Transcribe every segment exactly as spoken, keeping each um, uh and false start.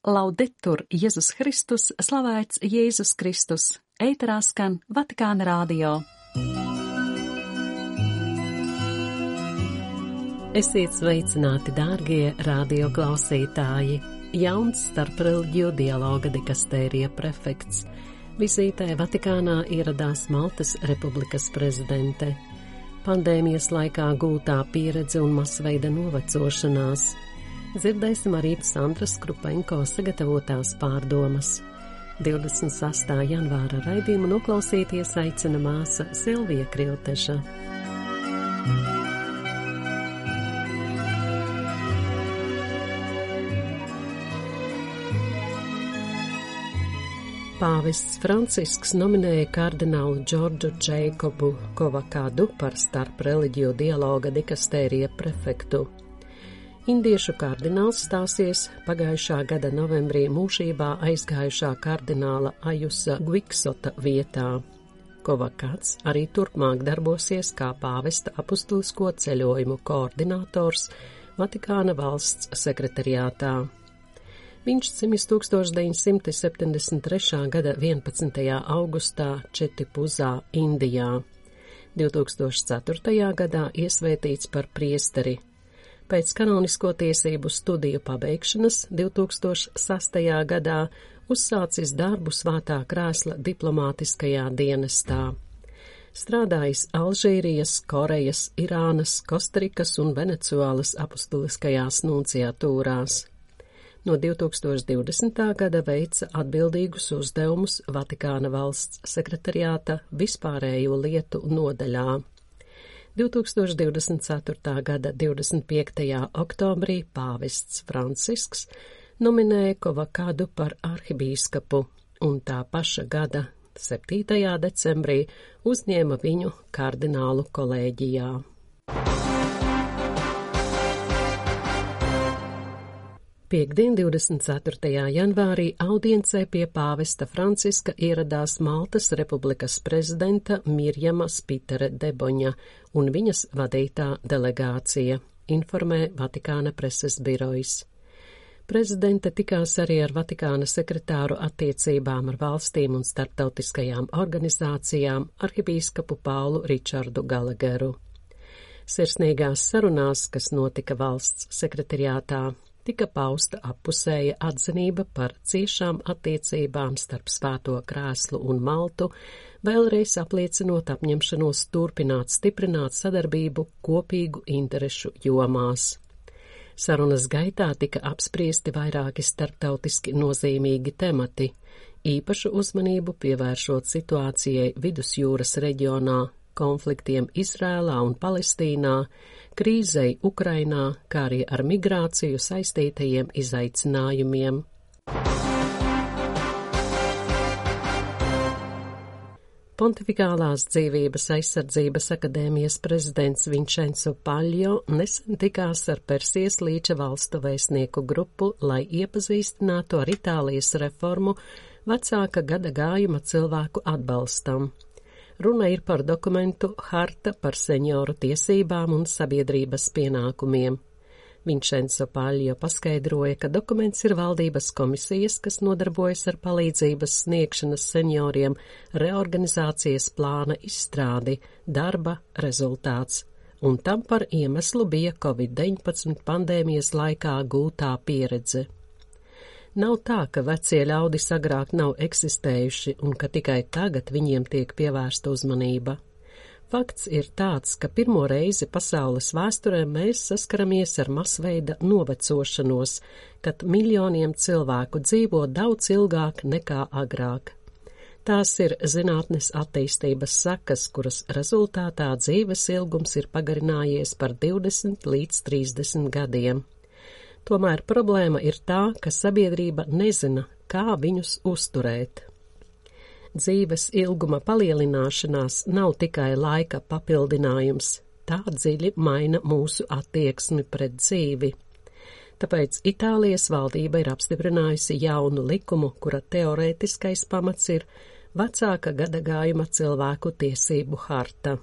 Laudetur Jēzus Kristus, slavēts Jēzus Kristus, ēterā skan Vatikāna radio. Esiet sveicināti, dārgie radio klausītāji! Jauns starpreļģiju dialoga dikastērija prefekts. Vizītē Vatikānā ieradās Maltas Republikas prezidente. Pandēmijas laikā gūtā pieredze un masveida novecošanās. Dzirdēsim arī Sandras Krupenko sagatavotās pārdomas. divdesmit sastā janvāra raidījumu noklausīties aicina māsa Silvija Krilteša. Pāvests Francisks nominēja kardinālu Džordžu Džeikobu Kovakadu par starpreļģiju dialoga dikastērija prefektu. Indiešu kardināls stāsies pagājušā gada novembrī mūžībā aizgājušā kardināla Ajusa Gviksota vietā. Kovakats arī turpmāk darbosies kā pāvesta apustulisko ceļojumu koordinators Vatikāna valsts sekretariātā. Viņš dzimis tūkstoš deviņsimt septiņdesmit trešā gada vienpadsmitajā augustā Četipuzā, Indijā. divtūkstoš ceturtajā gadā iesvētīts par priesteri. Pēc kanonisko tiesību studiju pabeigšanas divtūkstoš sastajā gadā uzsācis darbu Svētā krēsla diplomātiskajā dienestā. Strādājis Alžīrijas, Korejas, Irānas, Kostarikas un Venecuēlas apustuliskajās nunciatūrās. No divtūkstoš divdesmitā gada veica atbildīgus uzdevumus Vatikāna valsts sekretariāta vispārējo lietu nodaļā. divtūkstoš divdesmit ceturtā gada divdesmit piektajā oktobrī pāvests Francisks nominēja Kovakadu par arhibīskapu, un tā paša gada septītajā decembrī uzņēma viņu kardinālu kolēģijā. Piektdien, divdesmit ceturtajā janvārī audiencē pie pāvesta Franciska ieradās Maltas Republikas prezidenta Mirjama Spitere Deboņa un viņas vadītā delegācija, informē Vatikāna preses birojs. Prezidente tikās arī ar Vatikāna sekretāru attiecībām ar valstīm un starptautiskajām organizācijām arhibīskapu Paulu Ričardu Galageru. Sirsnīgās sarunās, kas notika valsts sekretariātā, tika pausta appusēja atzinība par ciešām attiecībām starp Svēto krēslu un Maltu, vēlreiz apliecinot apņemšanos turpināt stiprināt sadarbību kopīgu interešu jomās. Sarunas gaitā tika apspriesti vairāki starptautiski nozīmīgi temati, īpašu uzmanību pievēršot situācijai Vidusjūras reģionā, konfliktiem Izrēlā un Palestīnā, krīzei Ukrainā, kā arī ar migrāciju saistītajiem izaicinājumiem. Pontifikālās dzīvības aizsardzības akadēmijas prezidents Vincenzo Paļo nesen tikās ar Persijas līča valstu vēstnieku grupu, lai iepazīstinātu ar Itālijas reformu vecāka gada gājuma cilvēku atbalstam. Runa ir par dokumentu Harta par senioru tiesībām un sabiedrības pienākumiem. Vincenzo Paļo paskaidroja, ka dokuments ir valdības komisijas, kas nodarbojas ar palīdzības sniegšanas senioriem, reorganizācijas plāna izstrādi, darba rezultāts, un tam par iemeslu bija covid deviņpadsmit pandēmijas laikā gūtā pieredze. Nav tā, ka vecie ļaudis agrāk nav eksistējuši un ka tikai tagad viņiem tiek pievērsta uzmanība. Fakts ir tāds, ka pirmo reizi pasaules vēsturē mēs saskaramies ar masveida novecošanos, kad miljoniem cilvēku dzīvo daudz ilgāk nekā agrāk. Tās ir zinātnes attīstības sekas, kuras rezultātā dzīves ilgums ir pagarinājies par divdesmit līdz trīsdesmit gadiem. Tomēr problēma ir tā, ka sabiedrība nezina, kā viņus uzturēt. Dzīves ilguma palielināšanās nav tikai laika papildinājums, tā dziļi maina mūsu attieksmi pret dzīvi. Tāpēc Itālijas valdība ir apstiprinājusi jaunu likumu, kura teorētiskais pamats ir vecāka gada gājuma cilvēku tiesību harta.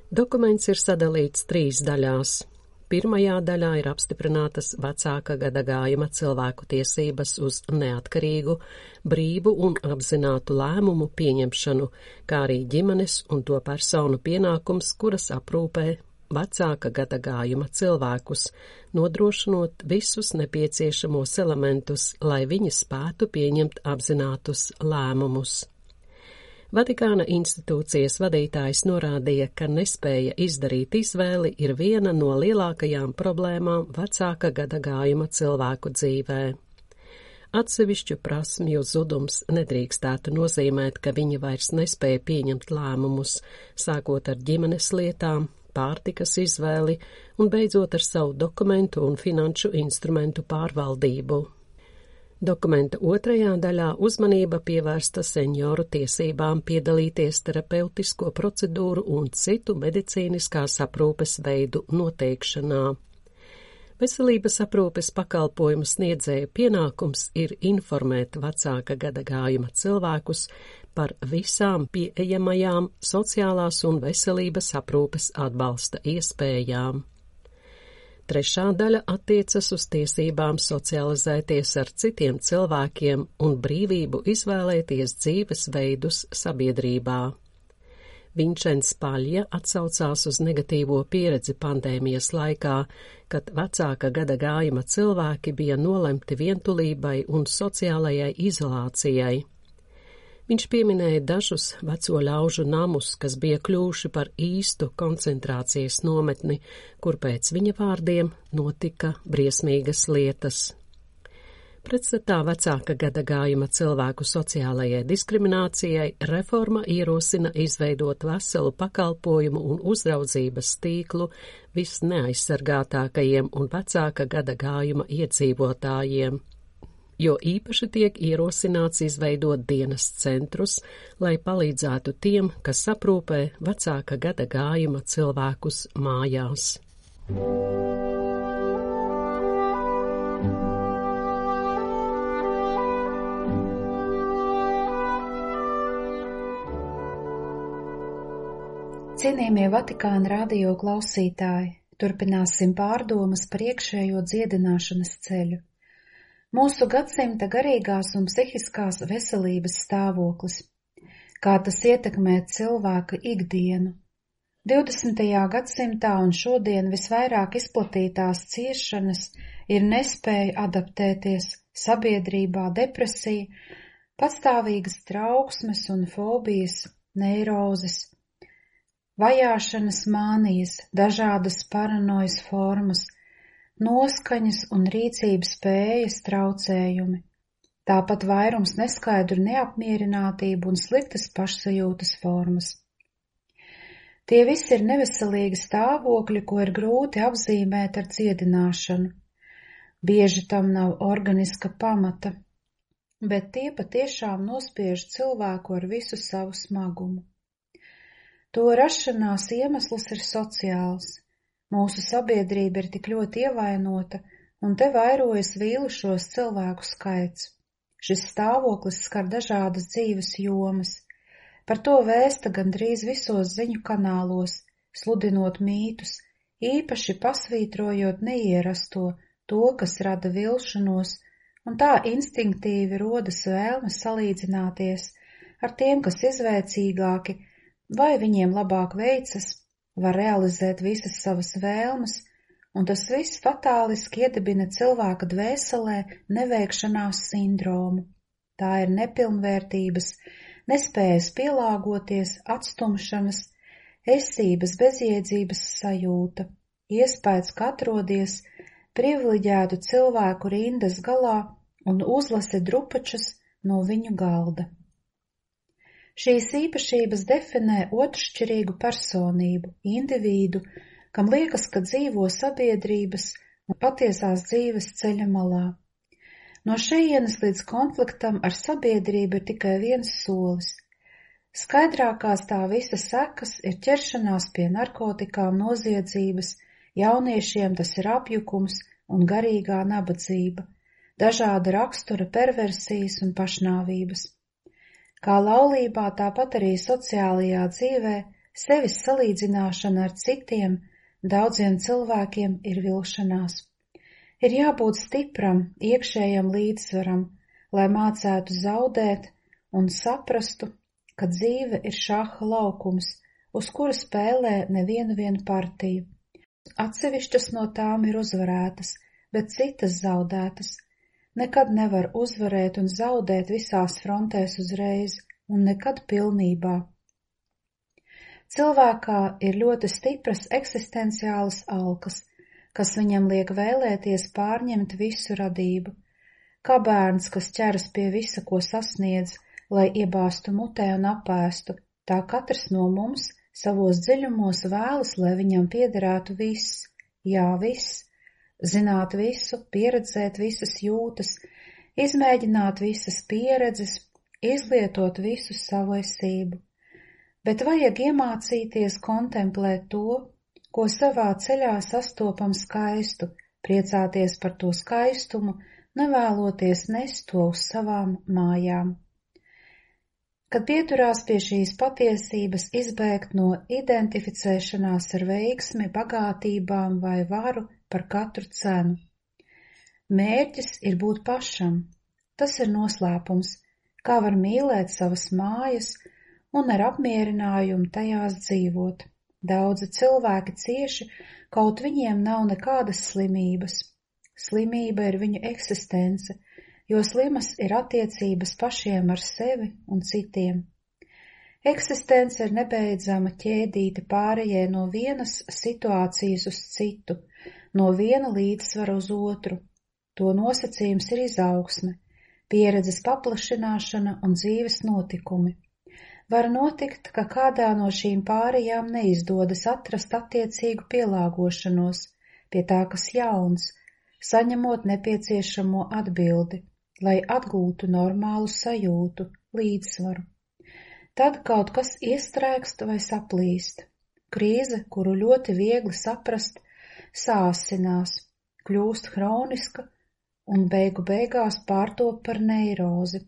Dokuments ir sadalīts trīs daļās. Pirmajā daļā ir apstiprinātas vecāka gadagājuma cilvēku tiesības uz neatkarīgu, brīvu un apzinātu lēmumu pieņemšanu, kā arī ģimenes un to personu pienākums, kuras aprūpē vecāka gadagājuma cilvēkus, nodrošinot visus nepieciešamos elementus, lai viņi spētu pieņemt apzinātus lēmumus. Vatikāna institūcijas vadītājs norādīja, ka nespēja izdarīt izvēli ir viena no lielākajām problēmām vecāka gadagājuma cilvēku dzīvē. Atsevišķu prasmju zudums nedrīkstētu nozīmēt, ka viņi vairs nespēja pieņemt lēmumus, sākot ar ģimenes lietām, pārtikas izvēli un beidzot ar savu dokumentu un finanšu instrumentu pārvaldību. Dokumenta otrajā daļā uzmanība pievērsta senioru tiesībām piedalīties terapeitisko procedūru un citu medicīniskās aprūpes veidu noteikšanā. Veselības aprūpes pakalpojumu sniedzēju pienākums ir informēt vecāka gadagājuma cilvēkus par visām pieejamajām sociālās un veselības aprūpes atbalsta iespējām. Trešā daļa attiecas uz tiesībām socializēties ar citiem cilvēkiem un brīvību izvēlēties dzīves veidus sabiedrībā. Vinčens Paļja atsaucās uz negatīvo pieredzi pandēmijas laikā, kad vecāka gadagājuma cilvēki bija nolemti vientulībai un sociālajai izolācijai. Viņš pieminēja dažus veco ļaužu namus, kas bija kļuvuši par īstu koncentrācijas nometni, kur pēc viņa vārdiem notika briesmīgas lietas. Pretstatā vecāka gadagājuma cilvēku sociālajai diskriminācijai reforma ierosina izveidot veselu pakalpojumu un uzraudzības tīklu visneaizsargātākajiem un vecāka gadagājuma iedzīvotājiem, jo īpaši tiek ierosināts izveidot dienas centrus, lai palīdzētu tiem, kas aprūpē vecāka gadagājuma cilvēkus mājās. Cienījamie Vatikāna radio klausītāji, turpināsim pārdomas par iekšējo dziedināšanas ceļu. Mūsu gadsimta garīgās un psihiskās veselības stāvoklis, kā tas ietekmē cilvēka ikdienu. divdesmitajā gadsimtā un šodien visvairāk izplatītās ciešanas ir nespēja adaptēties sabiedrībā, depresija, patstāvīgas trauksmes un fobijas, neirozes, vajāšanas mānijas, dažādas paranojas formas, noskaņas un rīcības spējas traucējumi, tāpat vairums neskaidru neapmierinātību un sliktas pašsajūtas formas. Tie visi ir neveselīgi stāvokļi, ko ir grūti apzīmēt ar dziedināšanu. Bieži tam nav organiska pamata, bet tie patiešām nospiež cilvēku ar visu savu smagumu. To rašanās iemesls ir sociāls. Mūsu sabiedrība ir tik ļoti ievainota, un te vairojas vīlušos cilvēku skaits. Šis stāvoklis skar dažādas dzīves jomas. Par to vēsta gandrīz visos ziņu kanālos, sludinot mītus, īpaši pasvītrojot neierasto, to, kas rada vilšanos, un tā instinktīvi rodas vēlme salīdzināties ar tiem, kas izvēcīgāki, vai viņiem labāk veicas, var realizēt visas savas vēlmes, un tas viss fatāliski iedibina cilvēka dvēselē neveikšanās sindromu. Tā ir nepilnvērtības, nespējas pielāgoties, atstumšanas, esības bezjēdzības sajūta, iespējas, ka atrodies privileģētu cilvēku rindas galā un uzlasi drupačus no viņu galda. Šīs īpašības definē otršķirīgu personību, individu, kam liekas, ka dzīvo sabiedrības un patiesās dzīves ceļa malā. No šejienes līdz konfliktam ar sabiedrību ir tikai viens solis. Skaidrākās tā visa sekas ir ķeršanās pie narkotikām, noziedzības, jauniešiem tas ir apjukums un garīgā nabadzība, dažāda rakstura perversijas un pašnāvības. Kā laulībā, tāpat arī sociālajā dzīvē sevis salīdzināšana ar citiem Daudziem cilvēkiem ir vilšanās. Ir jābūt stipram, iekšējam līdzsvaram, lai mācētu zaudēt un saprastu, ka dzīve ir šaha laukums, uz kura spēlē nevienu vienu partiju. Atsevišķas no tām ir uzvarētas, bet citas zaudētas. Nekad nevar uzvarēt un zaudēt visās frontēs uzreiz, un nekad pilnībā. Cilvēkā ir ļoti stipras eksistenciālas alkas, kas viņam liek vēlēties pārņemt visu radību. Kā bērns, kas ķeras pie visa, ko sasniedz, lai iebāstu mutē un apēstu, tā katrs no mums savos dziļumos vēlas, lai viņam piederētu viss, jā, viss, zināt visu, pieredzēt visas jūtas, izmēģināt visas pieredzes, izlietot visu savu esību. Bet vajag iemācīties kontemplēt to, ko savā ceļā sastopam skaistu, priecāties par to skaistumu, nevēloties nest to uz savām mājām. Kad pieturās pie šīs patiesības, izbēgt no identificēšanās ar veiksmi, bagātībām vai varu par katru cenu. Mērķis ir būt pašam. Tas ir noslēpums, kā var mīlēt savas mājas un ar apmierinājumu tajās dzīvot. Daudzi cilvēki cieši, kaut viņiem nav nekādas slimības. Slimība ir viņu eksistence, jo slimas ir attiecības pašiem ar sevi un citiem. Eksistence ir nebeidzama ķēdīte pārējai no vienas situācijas uz citu, no viena līdzsvara uz otru. To nosacījums ir izaugsme, pieredzes paplašināšana un dzīves notikumi. Var notikt, ka kādā no šīm pārējām neizdodas atrast attiecīgu pielāgošanos pie tā, kas jauns, saņemot nepieciešamo atbildi, lai atgūtu normālu sajūtu, līdzsvaru. Tad kaut kas iestrēgst vai saplīst. Krīze, kuru ļoti viegli saprast, sāsinās, kļūst hroniska un beigu beigās pārtop par neirozi.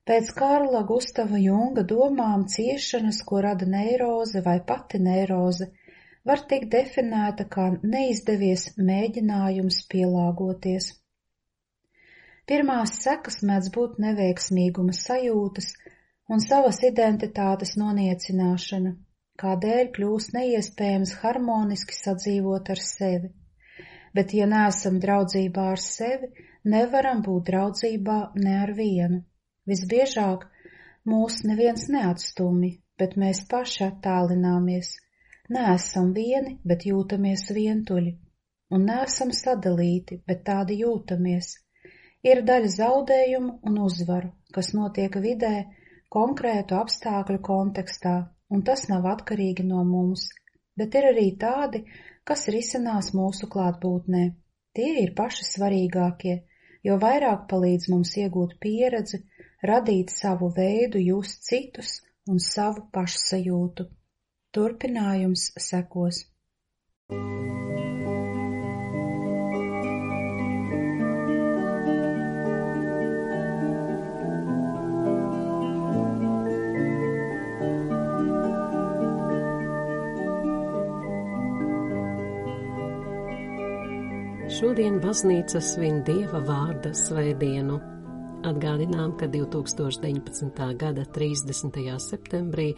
Pēc Kārla Gustava Junga domām ciešanas, ko rada neiroze vai pati neiroze, var tikt definēta kā neizdevies mēģinājums pielāgoties. Pirmās sekas mēdz būt neveiksmīguma sajūtas un savas identitātes noniecināšana, kādēļ kļūst neiespējams harmoniski sadzīvot ar sevi. Bet, ja neesam draudzībā ar sevi, nevaram būt draudzībā ne ar vienu. Visbiežāk mūs neviens neatstumj, bet mēs paši attālināmies. Neesam vieni, bet jūtamies vientuļi. Un neesam sadalīti, bet tādi jūtamies. Ir daļa zaudējumu un uzvaru, kas notiek vidē, konkrētu apstākļu kontekstā, un tas nav atkarīgi no mums. Bet ir arī tādi, kas risinās mūsu klātbūtnē. Tie ir paši svarīgākie, jo vairāk palīdz mums iegūt pieredzi, radīt savu veidu, just citus un savu pašsajūtu. Turpinājums sekos. Šodien baznīca svin Dieva vārda svētdienu. Atgādinām, ka divtūkstoš deviņpadsmitā gada trīsdesmitajā septembrī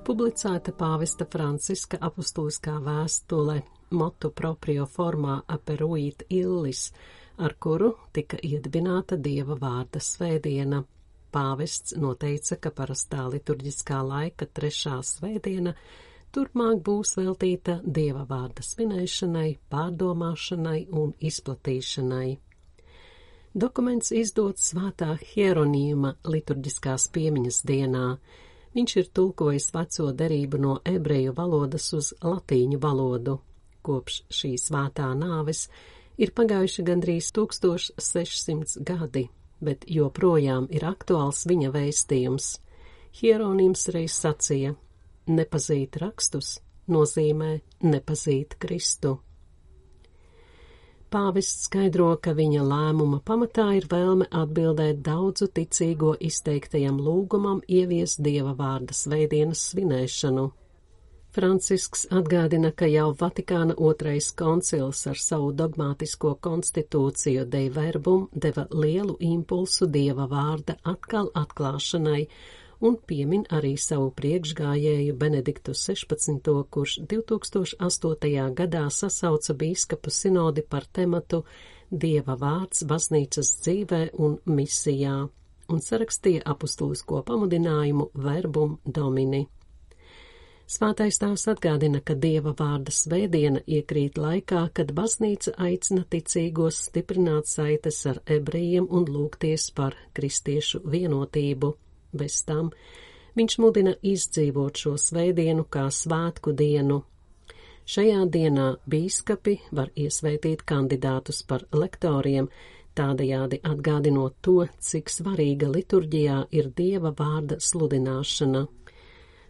publicēta pāvesta Franciska apustuliskā vēstule Motu proprio formā aperuit illis, ar kuru tika iedibināta Dieva vārda svētdiena. Pāvests noteica, ka parastā liturģiskā laika trešā svētdiena turpmāk būs veltīta Dieva vārda svinēšanai, pārdomāšanai un izplatīšanai. Dokuments izdots Svētā Hieronīma liturģiskās piemiņas dienā. Viņš ir tulkojis veco derību no ebreju valodas uz latīņu valodu. Kopš šī svētā nāves ir pagājuši gandrīz tūkstoš sešsimts gadi, bet joprojām ir aktuāls viņa vēstījums. Hieronīms reiz sacīja: nepazīt rakstus nozīmē nepazīt Kristu. Pāvests skaidro, ka viņa lēmuma pamatā ir vēlme atbildēt daudzu ticīgo izteiktajam lūgumam ieviest Dieva vārda svētdienas svinēšanu. Francisks atgādina, ka jau Vatikāna otrais koncils ar savu dogmātisko konstitūciju Dei Verbum deva lielu impulsu Dieva vārda atkal atklāšanai un piemin arī savu priekšgājēju Benediktu sešpadsmito, kurš divtūkstoš astotajā gadā sasauca bīskapu sinodi par tematu Dieva vārds baznīcas dzīvē un misijā un sarakstīja apustulisko pamudinājumu Verbum Domini. Svētais tēvs atgādina, ka Dieva vārda svētdiena iekrīt laikā, kad baznīca aicina ticīgos stiprināt saites ar ebrejiem un lūgties par kristiešu vienotību. Bez tam viņš mudina izdzīvot šo svētdienu kā svētku dienu. Šajā dienā bīskapi var iesvētīt kandidātus par lektoriem, tādējādi atgādinot to, cik svarīga liturģijā ir Dieva vārda sludināšana.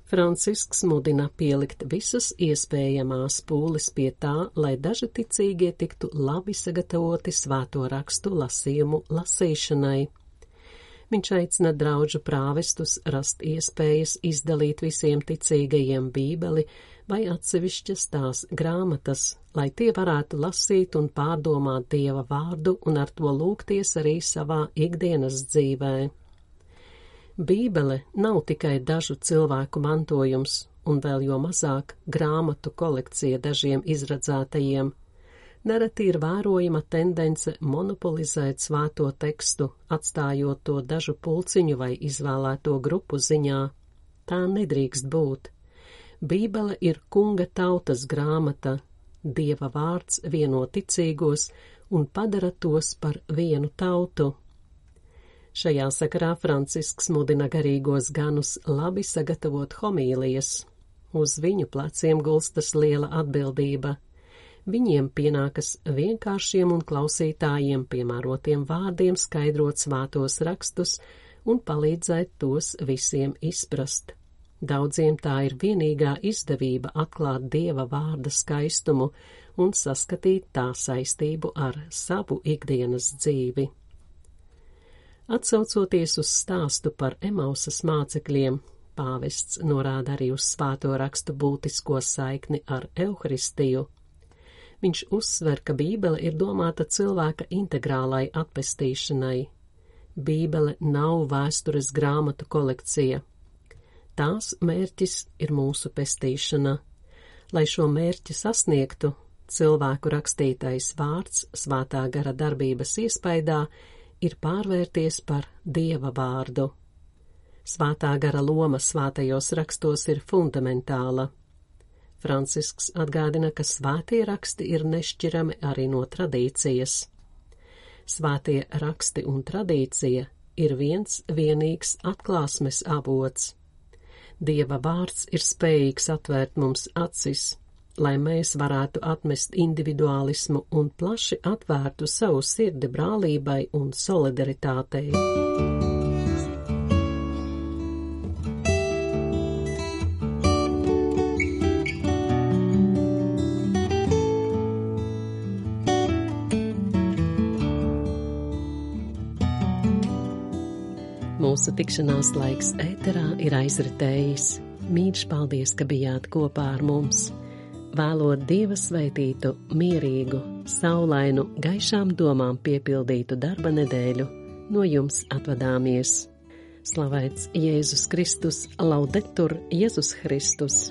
Francisks mudina pielikt visas iespējamās pūles pie tā, lai daži ticīgie tiktu labi sagatavoti svēto rakstu lasījumu lasīšanai. Viņš aicina draudžu prāvestus rast iespējas izdalīt visiem ticīgajiem bībeli vai atsevišķas tās grāmatas, lai tie varētu lasīt un pārdomāt Dieva vārdu un ar to lūgties arī savā ikdienas dzīvē. Bībele nav tikai dažu cilvēku mantojums, un vēl jo mazāk grāmatu kolekcija dažiem izradzētajiem. Nereti ir vērojama tendence monopolizēt svēto tekstu, atstājot to dažu pulciņu vai izvēlēto grupu ziņā. Tā nedrīkst būt. Bībele ir kunga tautas grāmata, Dieva vārds vieno ticīgos un padara tos par vienu tautu. Šajā sakarā Francisks mudina garīgos ganus labi sagatavot homīlijas. Uz viņu pleciem gulstas liela atbildība. Viņiem pienākas vienkāršiem un klausītājiem piemērotiem vārdiem skaidrot svētos rakstus un palīdzēt tos visiem izprast. Daudziem tā ir vienīgā izdevība atklāt Dieva vārda skaistumu un saskatīt tā saistību ar savu ikdienas dzīvi. Atsaucoties uz stāstu par Emausas mācekļiem, pāvests norāda arī uz svēto rakstu būtisko saikni ar Euharistiju. Viņš uzsver, ka Bībele ir domāta cilvēka integrālai atpestīšanai. Bībele nav vēstures grāmatu kolekcija. Tās mērķis ir mūsu pestīšana. Lai šo mērķi sasniegtu, cilvēku rakstītais vārds svētā gara darbības iespaidā ir pārvērties par Dieva vārdu. Svētā gara loma svētajos rakstos ir fundamentāla. Francisks atgādina, ka svētie raksti ir nešķirami arī no tradīcijas. Svētie raksti un tradīcija ir viens vienīgs atklāsmes avots. Dieva vārds ir spējīgs atvērt mums acis, lai mēs varētu atmest individuālismu un plaši atvērtu savu sirdi brālībai un solidaritātei. Mūsu tikšanās laiks ēterā ir aizritējis. Mīļš paldies, ka bijāt kopā ar mums. Vēlot Dieva svētītu, mierīgu, saulainu, gaišām domām piepildītu darba nedēļu, no jums atvadāmies. Slavēts Jēzus Kristus, laudetur Jēzus Kristus!